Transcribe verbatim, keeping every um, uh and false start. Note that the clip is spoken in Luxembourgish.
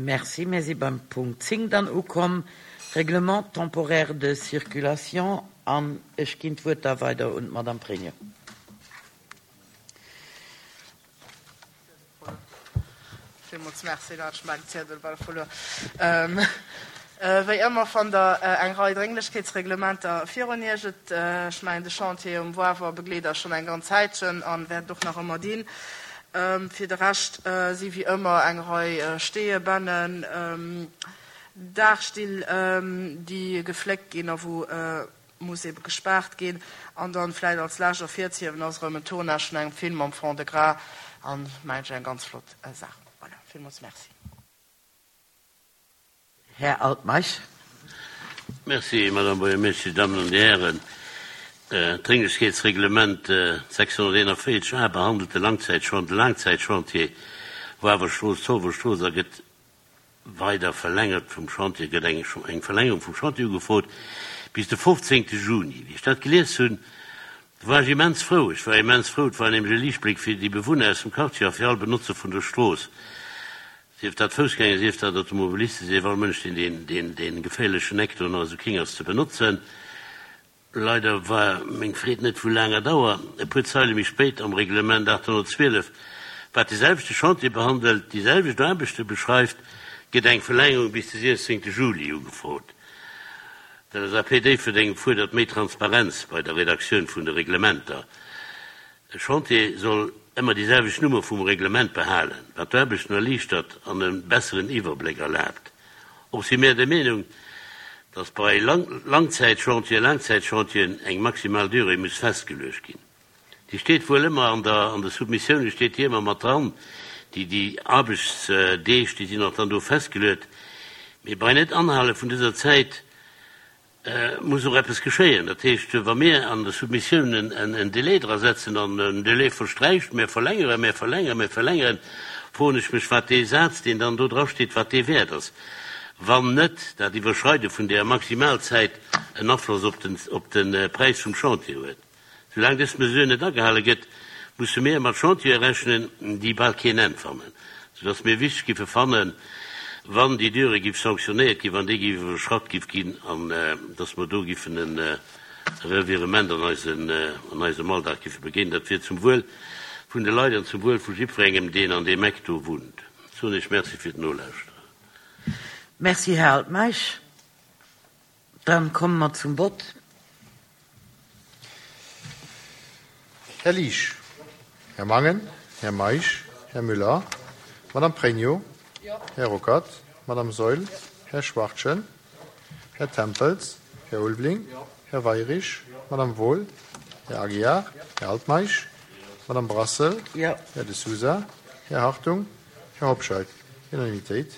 Merci. Mir si beim Punkt zéng dann ukomm, Règlement temporaire de circulation. An ech ginn d'Wuert da weider un d'Madame Pregno. Villmools Merci, da hat ech mäin Ziedel bal verluer. Wéi ëmmer fannt Der eng Rei Drénglechkeetsreglementer virun Iech. Et, ech mengen, de Chantier um Wawer begleet eis schonn eng ganz Zäitchen a wäert et och nach ëmmer dinn. Fir de Rescht si wéi ëmmer eng Rei Steeë, Bennen, Daachstill, déi gefléckt ginn a wou muss ebe gespaart ginn. An dann vläicht als lescht ervirzehiewen ass erëm en Tournage vun engem Film am Fond-de-Gras an, mengen ech, eng ganz flott Saach. Voilà, villmools Merci. Här Altmeisch. Merci, Madame Buergermeeschtesch, Dir Dammen an Dir Hären. D'Drénglechkeetsreglement sechshonnerteenanvéierzeg a behandelt de Langzäitchantier Wawerstrooss, Zolwerstrooss a gëtt weider verlängert vum Chantier, gëtt eng eng Verlängerung vum Chantier ugefrot bis de fofzéngte Juni. Wéi ech dat gelies hunn, war ech immens frou. Ech war immens frou. Et war nämlech e Liichtbléck fir déi Bewunner aus dem Quartier a fir all Benotzer vun der Strooss, sief dat Foussgänger, sief dat Automobilisten, sief all Mënsch, deen deen dee geféierlechen Eck do nach esou king ass ze benotzen. Leider war meng Freed net vu laanger Dauer. E puer Zeile méi spéit am Reglement aathonnertzwielef, wat de selwechte Chantier behandelt, déi selwecht Aarbechte beschreift, gëtt eng Verlängerung bis de siechzéngte Juli ugefrot. D'L S A P Déifferdeng fuerdert méi Transparenz bei der Redaktioun vun de Reglementer. E Chantier soll ëmmer déi selwecht Nummer vum Reglement behalen, wat d'Aarbechten erliichtert an e besseren Iwwerbléck erlaabt. Och si mir der Meenung, dass bei Langzäitchantieren, Laangzäitchantieren eng maximal Durée muss festgeluecht ginn. Déi steet wuel ëmmer an der, an de Soumissioune steet déi ëmmer mat dran, déi, déi Aarbechtsdeeg, déi sinn och dann do festgeluet. Mee bei Net-Anhale vun dëser Zäit muss och eppes geschéien. Dat heescht, wa mir an de Soumissiounen en Délai dra setzen an en Délai versträicht, mir verlängeren, mir verlängeren, mir verlängeren, froen ech mech, wat dee Saz, deen dann do drasteet, wat dee wäert ass, wann net dat Iwwerschreide vun där Maximalzäit en Afloss op den, op de Präis vum Chantier huet. Soulaang dës Mesure net agehale gëtt, musse mir mat Chantiere rechnen, déi bal keen Enn fannen, soudass mir wichteg giffe fannen, wann déi Durée giff sanktionéiert ginn, wann déi giff iwwerschratt giff ginn, an dass mer do giffen e Revirement an eisen, an eisem Alldag giffe begéinen. Dat wier zum Wuel vun de Leit an zum Wuel vu jiddwerengem, deen an deem Eck do wunnt. Soen ech Merci fir d'Nolauschteren. Merci, Här Altmeisch. Dann komme mer zum Vott. Här Liesch, Här Mangen, Här Meisch, Här Müller, Madame Pregno, Här Ruckert, Madame Saeul, Här Schwachtgen, Här Tempels, Här Ulveling, Här Weyrich, Madame Wohl, Här Aguiar, Här Altmeisch, Madame Brassel, Här De Sousa, Här Hartung, Här Hobscheit. Unanimitéit.